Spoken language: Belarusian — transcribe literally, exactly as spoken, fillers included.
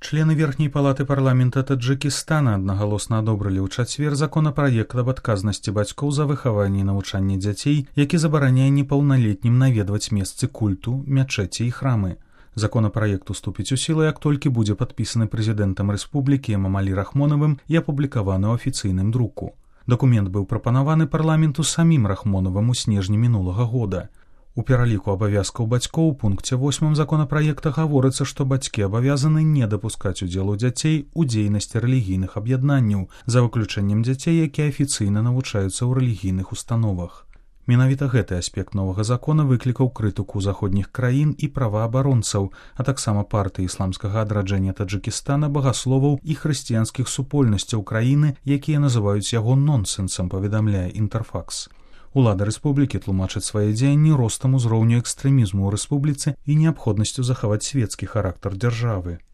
Члены верхняй палаты парламента Таджикістана аднагалосна адобрылі ў чацвер законапраект аб адказнасці бацькоў за выхаванне і навучанне дзяцей, які забараняе непаўналетнім наведваць месцы культу, мячэці і храмы. Законапраект уступіць у сілу, як толькі будзе падпісаны прэзідэнтам рэспублікі Эмамалі Рахмонавым і апублікаваны ў афіцыйным друку. Дакумент быў прапанаваны парламенту самім Рахмонавым у снежні мінулага года. У пераліку абавязкаў бацькоў у пункце восьмым законапраекта гаворыцца, што бацькі абавязаны не дапускаць удзелу дзяцей у дзейнасці рэлігійных аб'яднанняў, за выключэннем дзяцей, якія афіцыйна навучаюцца ў рэлігійных установах. Менавіта гэты аспект новага закона выклікаў крытыку заходніх краін і праваабаронцаў, а таксама партыі ісламскага адраджэння Таджыкістана, багасловаў і хрысціянскіх супольнасцяў краіны, якія называюць яго нонсенсам, паведамляе Інтэрфакс. Улада рэспублікі тлумачыць свае дзеянні ростам узроўню экстрэмізму ў рэспубліцы і неабходнасцю захаваць свецкі характар дзяржавы.